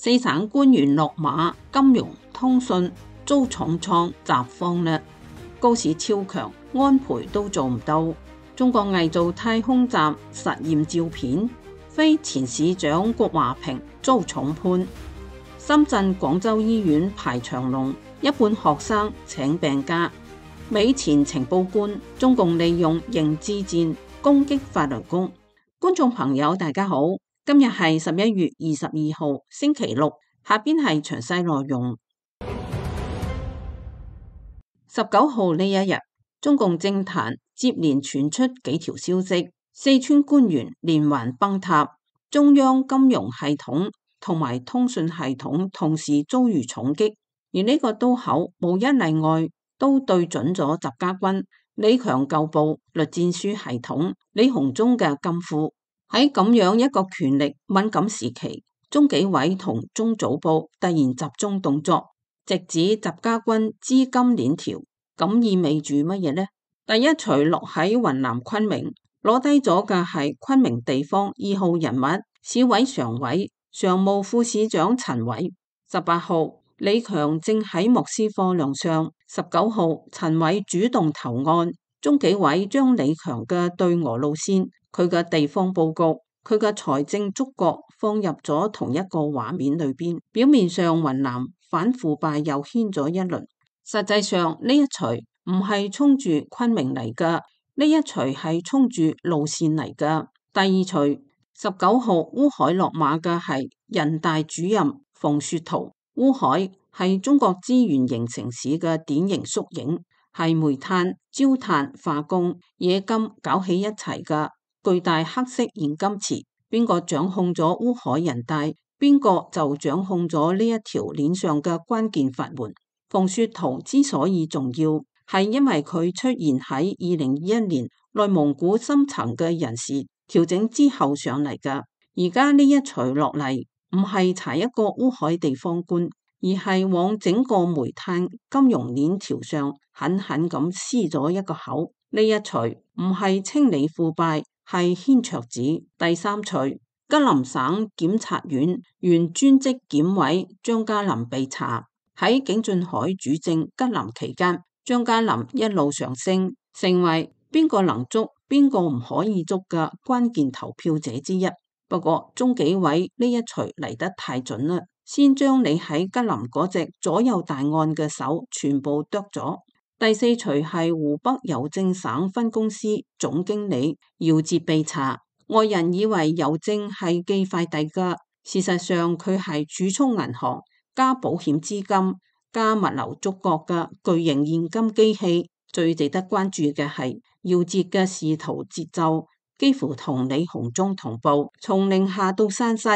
四省官員落馬，金融、通訊遭重創雜慌啦。高市超強，安倍都做唔到。中國偽造太空站實驗照片，非前市長郭華平遭重判。深圳、廣州醫院排長龍，一半學生請病假。美前情報官，中共利用認知戰攻擊法輪功。觀眾朋友大家好，今日係11月22號星期六，下邊係詳細內容。19號呢一日，中共政壇接連傳出幾條消息，四川官員連環崩塌，中央金融系統同埋通訊系統同時遭遇重擊，而呢個刀口無一例外都對準咗習家軍、李強舊部栗戰書系統、李鴻忠嘅金庫。喺咁樣一個權力敏感時期，中紀委同中組部突然集中動作，直指習家軍資金鏈條，咁意味住乜嘢呢？第一錘落喺雲南昆明，攞低咗嘅係昆明地方2號人物、市委常委、常務副市長陳偉。18號，李強正喺莫斯科亮相。19號，陳偉主動投案，中紀委將李強嘅對俄路線、佢嘅地方佈局、佢嘅財政觸角放入咗同一個畫面裏邊。表面上雲南反腐敗又掀咗一輪，實際上呢一錘唔係衝住昆明嚟㗎，呢一錘係衝住路線嚟㗎。第二錘，19號烏海落馬嘅係人大主任馮雪濤。烏海係中國資源型城市嘅典型縮影，係煤炭、焦炭、化工、冶金搞起一齊嘅巨大黑色現金池。邊個掌控咗烏海人大，邊個就掌控咗呢一條鏈上嘅關鍵法門。馮雪濤之所以重要，係因為佢出現喺2021年內蒙古深層嘅人事調整之後上嚟㗎。而家呢一錘落嚟，唔係查一個烏海地方官，而係往整個煤炭金融鏈條上狠狠咁撕咗一個口。呢一錘唔係清理腐敗，係掀桌子。第三錘，吉林省檢察院原專職檢委張家林被查。喺景俊海主政吉林期間，張家林一路上升，成為邊個能捉邊個唔可以捉嘅關鍵投票者之一。不過中紀委呢一錘嚟得太準啦，先將你喺吉林嗰隻左右大案嘅手全部剁咗。第四錘係湖北郵政省分公司總經理姚捷被查，外人以為郵政係寄快遞㗎，事實上佢係儲蓄銀行加保險資金加物流觸角嘅巨型現金機器。最值得關注嘅係姚捷嘅仕途節奏幾乎同李鴻忠同步，從寧夏到山西，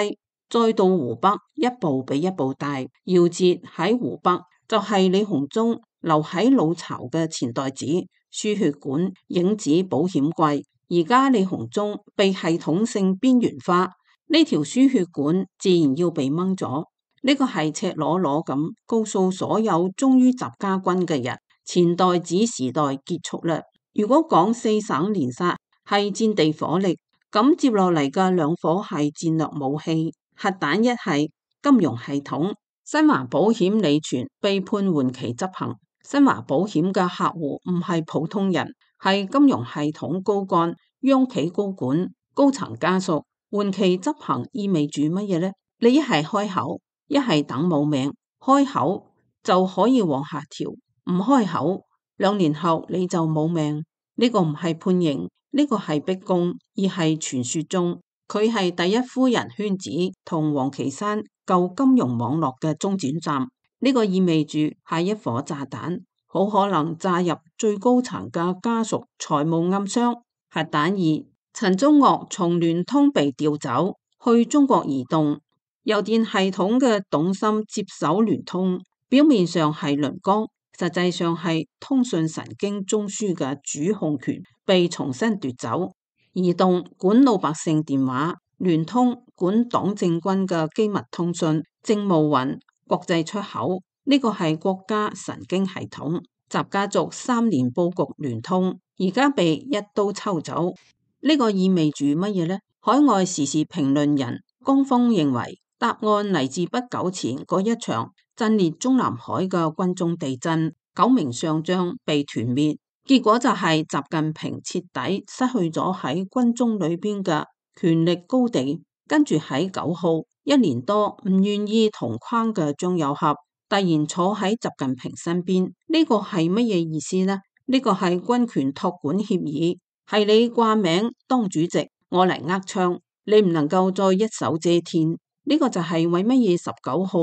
再到湖北，一步比一步大。姚捷喺湖北就係李鴻忠留喺老巢嘅錢袋子、輸血管、影子保險櫃。而家李鴻忠被系統性邊緣化，呢條輸血管自然要被掹咗。呢個係赤裸裸咁告訴所有忠於習家軍嘅人，錢袋子時代結束啦。如果講四省連殺係戰地火力，咁接落嚟嘅兩火係戰略武器，核彈一係金融系統。新華保險李全被判緩期執行。新華保險嘅客戶唔係普通人，係金融系統高幹、央企高管、高層家屬。緩期執行意味住乜嘢呢？你一係開口，一係等冇命。開口就可以往下調，唔開口2年後你就冇命。呢個唔係判刑，呢個係逼宮，而係傳說中佢係第一夫人圈子同王岐山舊金融網絡嘅中轉站。呢個意味住下一顆炸彈好可能炸入最高層嘅家屬財務暗箱。核彈2，陳忠岳從聯通被調走去中國移動，郵電系統嘅董芯接手聯通，表面上係輪崗，實際上係通訊神經中樞嘅主控權被重新奪走。移動管老百姓電話，聯通管黨政軍嘅機密通訊、政務雲、國際出口。呢個係國家神經系統。習家族3年佈局聯通，而家被一刀抽走。呢個意味住乜嘢呢？海外時事評論人江峰認為，答案嚟自不久前嗰一場震裂中南海嘅軍中地震，9名上將被團滅，結果就係習近平徹底失去咗喺軍中裏邊嘅權力高地。跟住喺9號1年多唔願意同框嘅張又俠突然坐喺習近平身邊，呢個係乜嘢意思呢？呢個係軍權託管協議，係你掛名當主席，我嚟握槍，你唔能夠再一手遮天。呢個就係為乜嘢19號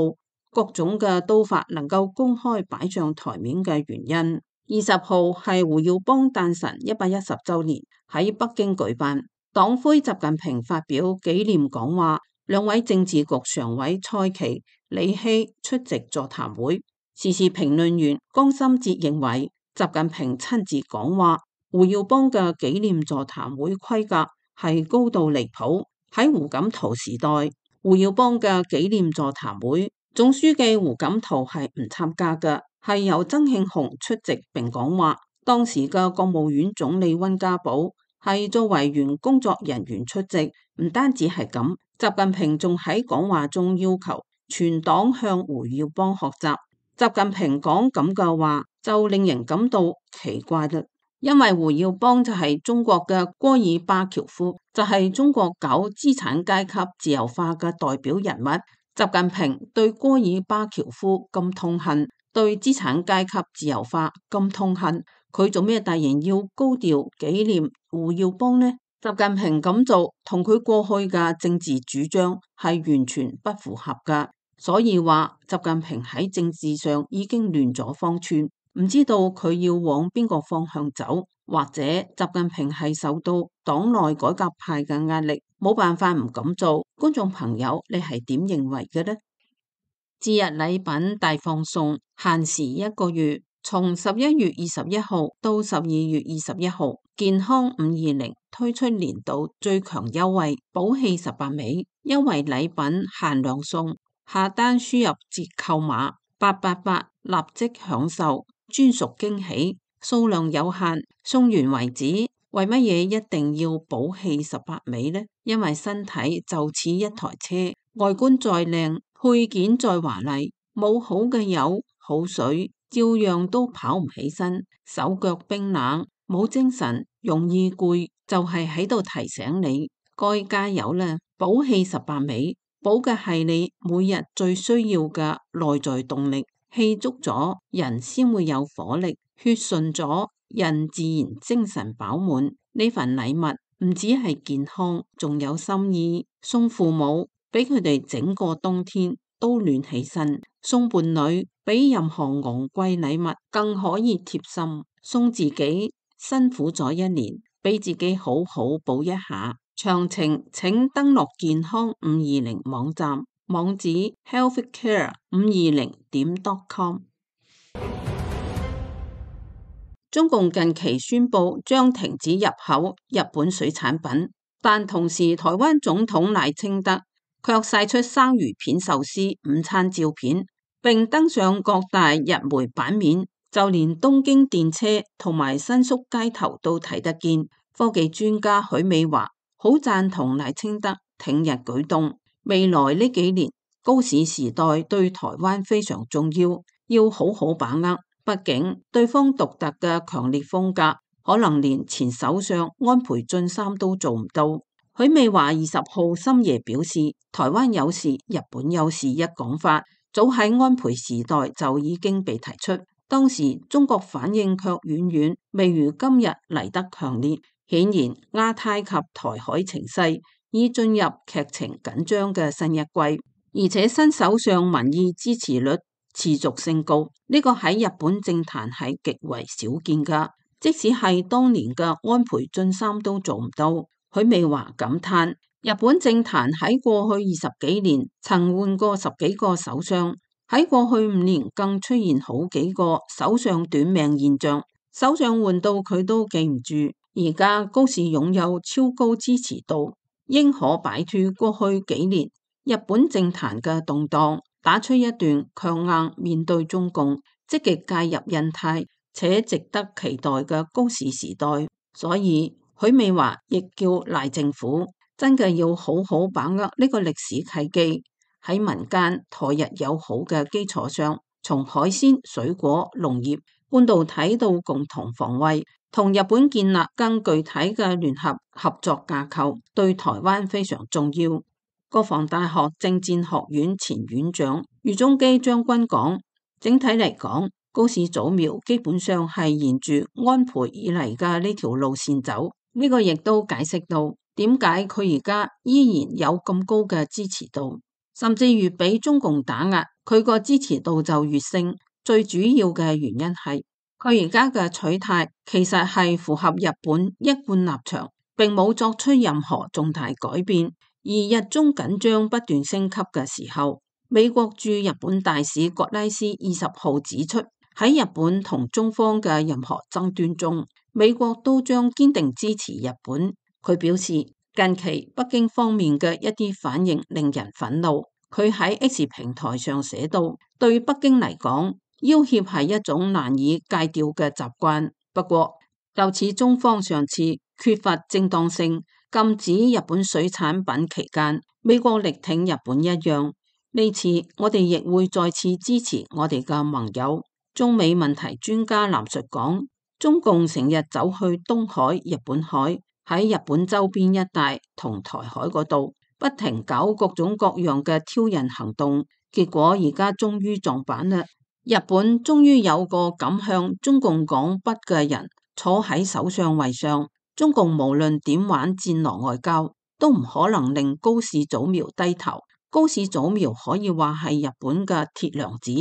各種嘅刀法能夠公開擺上台面嘅原因。20號係胡耀邦誕辰110週年，喺北京舉辦，黨魁習近平發表紀念講話，兩位政治局常委蔡奇、李希出席座談會。時事評論員江心哲認為，習近平親自講話，胡耀邦嘅紀念座談會規格係高度離譜。喺胡錦濤時代，胡耀邦嘅紀念座談會，總書記胡錦濤係唔參加嘅，係由曾慶紅出席並講話。當時嘅國務院總理溫家寶係作為原工作人員出席。唔單止係咁，習近平仲喺講話中要求全黨向胡耀邦學習。習近平講咁嘅話就令人感到奇怪啦，因為胡耀邦就係中國嘅戈爾巴喬夫，就係中國搞資產階級自由化嘅代表人物。習近平對戈爾巴喬夫咁痛恨，對資產階級自由化咁痛恨，佢做咩突然要高調紀念胡耀邦呢？習近平咁做同佢過去嘅政治主張係完全不符合噶，所以話習近平喺政治上已經亂咗方寸，唔知道佢要往邊個方向走，或者習近平係受到黨內改革派嘅壓力，冇辦法唔咁做。觀眾朋友，你係點認為嘅呢？節日禮品大放送，限時1個月，從11月21號到12月21號，健康520推出年度最強優惠，寶氣18味，優惠禮品限量送，下單輸入折扣碼888，立即享受專屬驚喜，數量有限，送完為止。為乜嘢一定要寶氣18味呢？因為身體就似一台車，外觀再靚，配件再華麗，冇好嘅油好水，照樣都跑唔起身，手腳冰冷，冇精神，容易攰，就係喺度提醒你該加油啦！寶氣18味，補嘅係你每日最需要嘅內在動力，氣足咗人先會有火力，血順咗人自然精神飽滿。呢份禮物唔止係健康，仲有心意。送父母，俾佢哋整個冬天都暖起身；送伴侶，比任何昂貴禮物更可以貼心；送自己，辛苦咗一年，俾自己好好補一下。詳情請登錄健康520網站，網址 healthcare520.com。中共近期宣布將停止入口日本水產品，但同時台灣總統賴清德卻晒出生魚片壽司午餐照片，並登上各大日媒版面，就連東京電車同埋新宿街頭都睇得見。科技專家許美華好贊同賴清德挺日舉動，未來呢幾年高市時代對台灣非常重要，要好好把握。畢竟對方獨特嘅強烈風格，可能連前首相安倍晉三都做唔到。許美華20號深夜表示，台灣有事，日本有事一講法，早喺安倍時代就已經被提出，當時中國反應卻遠遠未如今日嚟得強烈。顯然亞太及台海情勢已進入劇情緊張嘅新一季，而且新首相民意支持率持續升高，呢個喺日本政壇係極為少見噶。即使係當年嘅安倍晉三都做唔到。許美華感嘆，日本政壇喺過去20幾年曾換過10幾個首相，喺過去5年更出現好幾個首相短命現象，首相換到佢都記唔住。而家高市擁有超高支持度，應可擺脫過去幾年日本政壇嘅動盪，打出一段強硬面對中共、積極介入印太且值得期待嘅高市時代。所以許美華亦叫賴政府真嘅要好好把握呢個歷史契機，喺民間台日友好嘅基礎上，從海鮮、水果、農業、半導體到共同防衛，同日本建立更具體嘅聯合合作架構，對台灣非常重要。國防大學政戰學院前院長余宗基將軍講，整體嚟講，高市早苗基本上係沿住安倍以嚟嘅呢條路線走，呢個亦都解釋到點解佢而家依然有咁高嘅支持度，甚至越俾中共打壓，佢個支持度就越升。最主要嘅原因係佢而家嘅取態其實係符合日本一貫立場，並冇作出任何重大改變。而日中緊張不斷升級嘅時候，美國駐日本大使葛拉斯20號指出，喺日本同中方嘅任何爭端中，美國都將堅定支持日本。佢表示，近期北京方面嘅一啲反應令人憤怒。佢喺 X 平台上寫道，對北京嚟講，要挾係一種難以戒掉嘅習慣。不過，就似中方上次缺乏正當性禁止日本水產品期間，美國力挺日本一樣，呢次我哋亦會再次支持我哋嘅盟友。中美問題專家藍述講，中共成日走去東海、日本海，喺日本周邊一帶同台海嗰度不停搞各種各樣嘅挑釁行動，結果而家終於撞板啦！日本終於有個敢向中共講不嘅人坐喺首相位上，中共無論點玩戰狼外交，都唔可能令高市早苗低頭。高市早苗可以話係日本嘅鐵娘子。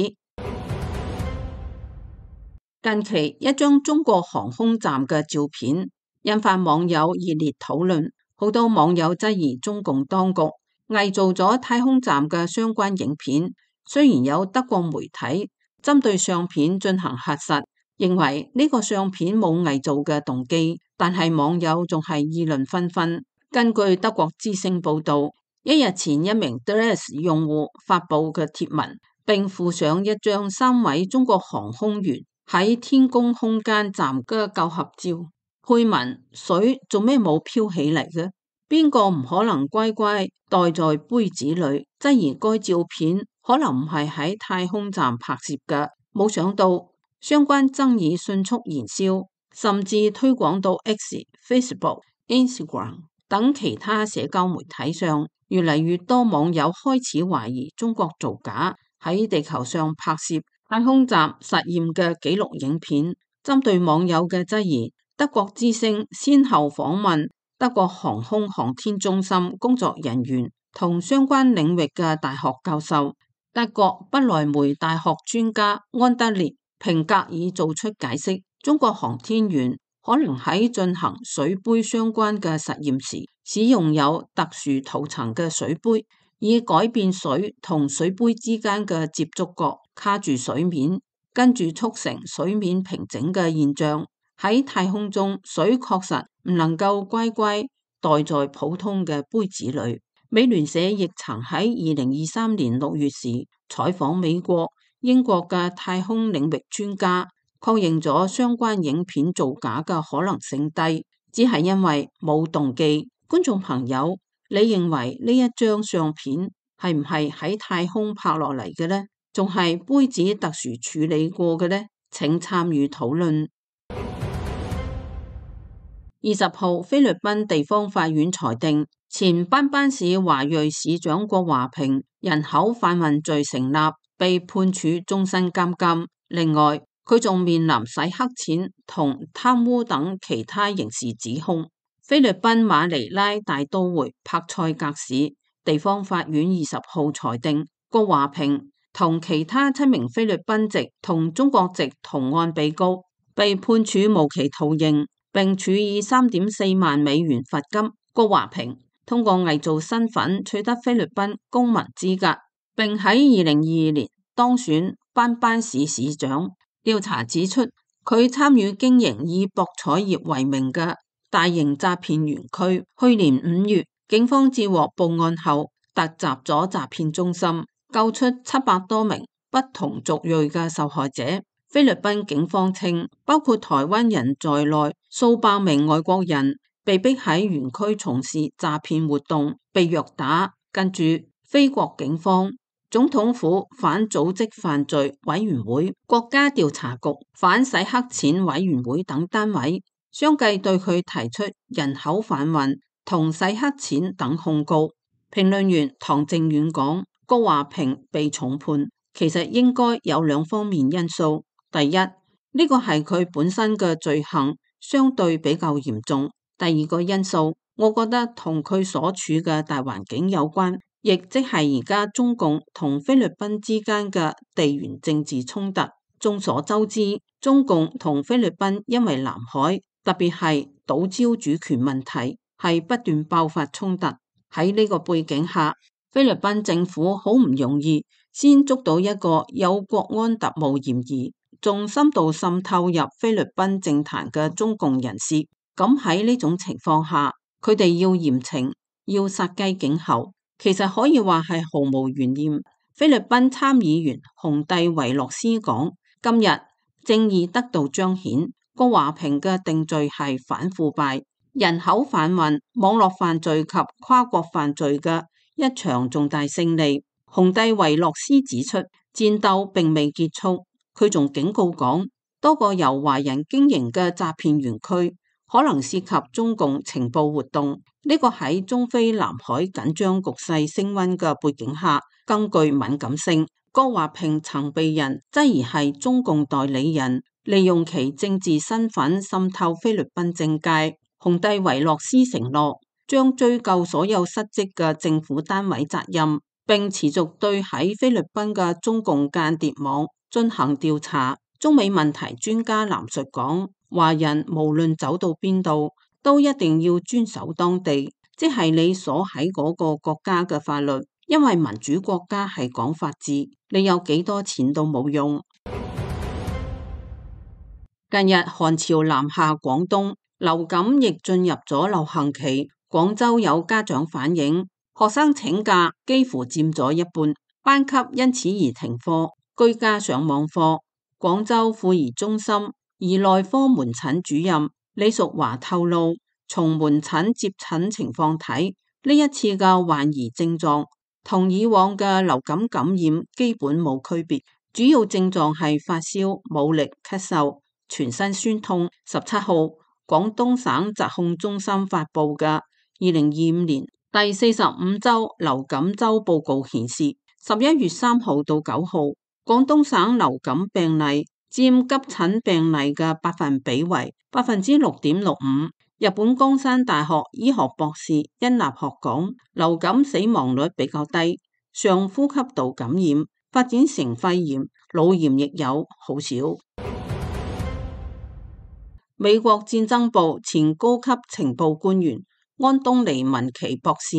近期一張中國航空站嘅照片引發網友熱烈討論，好多網友質疑中共當局偽造咗太空站嘅相關影片。雖然有德國媒體針對相片進行核實，認為呢個相片冇偽造嘅動機，但係網友仲係議論紛紛。根據德國之聲報道，一日前一名 Threads 用戶發佈嘅貼文，並附上一張3位中國航空員喺天宮空間站嘅舊合照，配文：水做咩冇飄起嚟嘅？邊個唔可能乖乖袋在杯子裏？質疑該照片可能唔係喺太空站拍攝嘅。冇想到相關爭議迅速燃燒，甚至推廣到 X、Facebook、Instagram 等其他社交媒體上。越嚟越多網友開始懷疑中國造假，喺地球上拍攝太空站實驗嘅紀錄影片。針對網友嘅質疑，德國之聲先後訪問德國航空航天中心工作人員同相關領域嘅大學教授。德國不萊梅大學專家安德烈平格爾做出解釋，中國航天員可能喺進行水杯相關嘅實驗時，使用有特殊塗層嘅水杯，以改變水同水杯之間嘅接觸角卡住水面，跟住促成水面平整嘅現象。喺太空中，水確實唔能夠乖乖袋在普通嘅杯子裏。美聯社亦曾喺2023年6月時採訪美國、英國嘅太空領域專家，確認咗相關影片造假嘅可能性低，只係因為冇動機。觀眾朋友，你認為呢一張相片係唔係喺太空拍落嚟嘅呢？仲係杯子特殊處理過嘅呢？請參與討論。20號，菲律賓地方法院裁定前班班市華裔市長郭華平人口販運罪成立，被判處終身監禁。另外，佢仲面臨洗黑錢同貪污等其他刑事指控。菲律賓馬尼拉大都會柏塞格市地方法院20號裁定，郭華平同其他7名菲律賓籍同中國籍同案被告被判處無期徒刑，並處以3.4萬美元罰金。郭華平通過偽造身份取得菲律賓公民資格，並喺2022年當選班班市市長。調查指出，佢參與經營以博彩業為名嘅大型詐騙園區。去年5月，警方接獲報案後，突襲咗詐騙中心，救出700多名不同族裔嘅受害者。菲律賓警方稱，包括台灣人在內，數百名外國人被逼喺園區從事詐騙活動，被虐打。跟住，非國警方、總統府反組織犯罪委員會、國家調查局、反洗黑錢委員會等單位，相繼對佢提出人口販運同洗黑錢等控告。評論員唐靖遠講，郭華平被重判，其實應該有兩方面因素。第一，呢個係佢本身嘅罪行相對比較嚴重。第二個因素，我覺得同佢所處嘅大環境有關，亦即係而家中共同菲律賓之間嘅地緣政治衝突。眾所周知，中共同菲律賓因為南海，特別係島礁主權問題，係不斷爆發衝突。喺呢個背景下，菲律賓政府好唔容易先捉到一個有國安特務嫌疑，仲深度滲透入菲律賓政壇嘅中共人士。咁喺呢種情況下，佢哋要嚴懲，要殺雞儆猴，其實可以話係毫無懸念。菲律賓參議員洪蒂維洛斯講，今日正義得到彰顯，郭華平嘅定罪係反腐敗、人口販運、網絡犯罪及跨國犯罪嘅一場重大勝利。洪蒂維洛斯指出，戰鬥並未結束，佢仲警告講，多個由華人經營嘅詐騙園區可能涉及中共情報活動。呢個喺中菲南海緊張局勢升溫嘅背景下，更具敏感性。郭華平曾被人質疑係中共代理人，利用其政治身份滲透菲律賓政界。洪蒂維洛斯承諾將追究所有失職嘅政府單位責任，並持續對喺菲律賓嘅中共間諜網進行調查。中美問題專家藍述講，華人無論走到邊度，都一定要遵守當地，即係你所喺嗰個國家嘅法律，因為民主國家係講法治，你有幾多錢都冇用。近日寒潮南下廣東，流感亦進入咗流行期。廣州有家長反映，學生請假幾乎佔咗一半，班級因此而停課，居家上網課。廣州婦兒中心兒內科門診主任李淑華透露，從門診接診情況睇，呢一次嘅患兒症狀同以往嘅流感感染基本冇區別，主要症狀係發燒、冇力、咳嗽、全身酸痛。17號，廣東省疾控中心發布嘅2025年第45週流感週報告顯示，11月3號到9號，廣東省流感病例佔急診病例嘅百分比為6.65%。日本江山大學醫學博士殷立學講，流感死亡率比較低，上呼吸道感染發展成肺炎、腦炎亦有，好少。美國戰爭部前高級情報官員安東尼文奇博士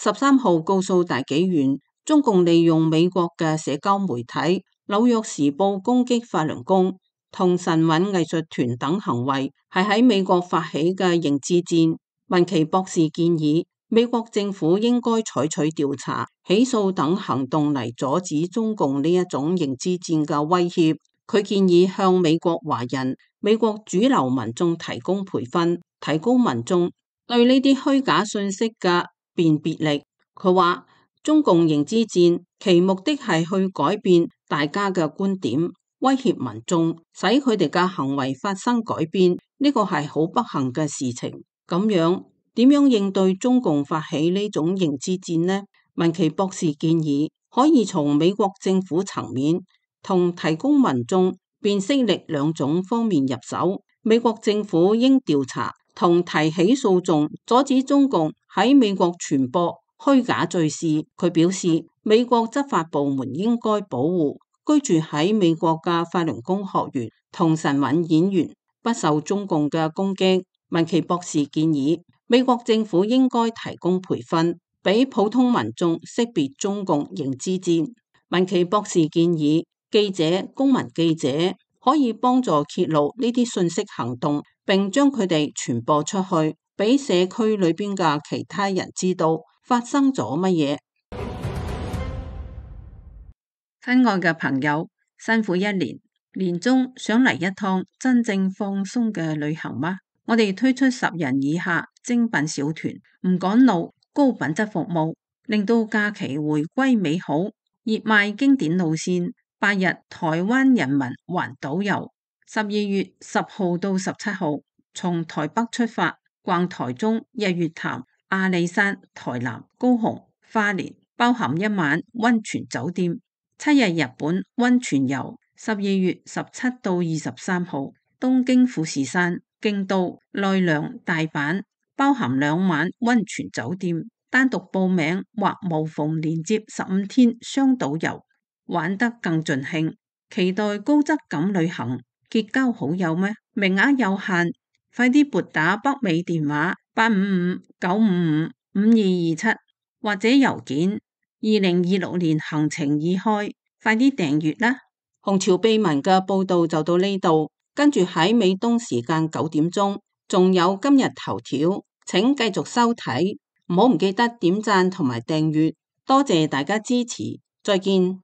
13號告訴大紀元，中共利用美國嘅社交媒體、紐約時報攻擊法輪功同神韻藝術團等行為，係喺美國發起嘅認知戰。文奇博士建議，美國政府應該採取調查、起訴等行動嚟阻止中共呢一種認知戰嘅威脅。佢建議向美國華人、美國主流民眾提供培訓，提高民眾對呢啲虛假信息嘅辨別力。佢話，中共認知戰其目的係去改變大家嘅觀點，威脅民眾，使佢哋嘅行為發生改變。呢個係好不幸嘅事情。咁樣點樣應對中共發起呢種認知戰呢？文奇博士建議可以從美國政府層面同提供民眾辨識力兩種方面入手。美國政府應調查同提起訴訟，阻止中共喺美國傳播虛假敘事。佢表示，美國執法部門應該保護居住喺美國嘅法輪功學員同神韻演員不受中共嘅攻擊。文奇博士建議，美國政府應該提供培訓，俾普通民眾識別中共認知戰。文奇博士建議，記者、公民記者可以幫助揭露呢啲信息行動，並將佢哋傳播出去，俾社區裏邊嘅其他人知道發生咗乜嘢。親愛嘅朋友，辛苦一年，年終想嚟一趟真正放鬆嘅旅行嗎？我哋推出10人以下精品小團，唔趕路，高品質服務。令到假期回歸美好。熱賣經典路線8日台灣人民環島遊，12月10號到17號，從台北出發，逛台中、日月潭、阿里山、台南、高雄、花蓮，包含1晚溫泉酒店。7日日本溫泉遊，12月17到23號，東京富士山、京都、奈良、大阪，包含2晚溫泉酒店。單獨報名或無縫連接15天雙島遊，玩得更盡興。期待高質感旅行，結交好友咩？名額有限，快啲撥打北美電話855-955-5227或者郵件2026年行程已開，快啲訂閱啦！紅潮秘聞嘅報道就到呢度，跟住喺美東時間9點鐘，仲有今日頭條，請繼續收睇，唔記得點讚同埋訂閱，多謝大家支持，再見。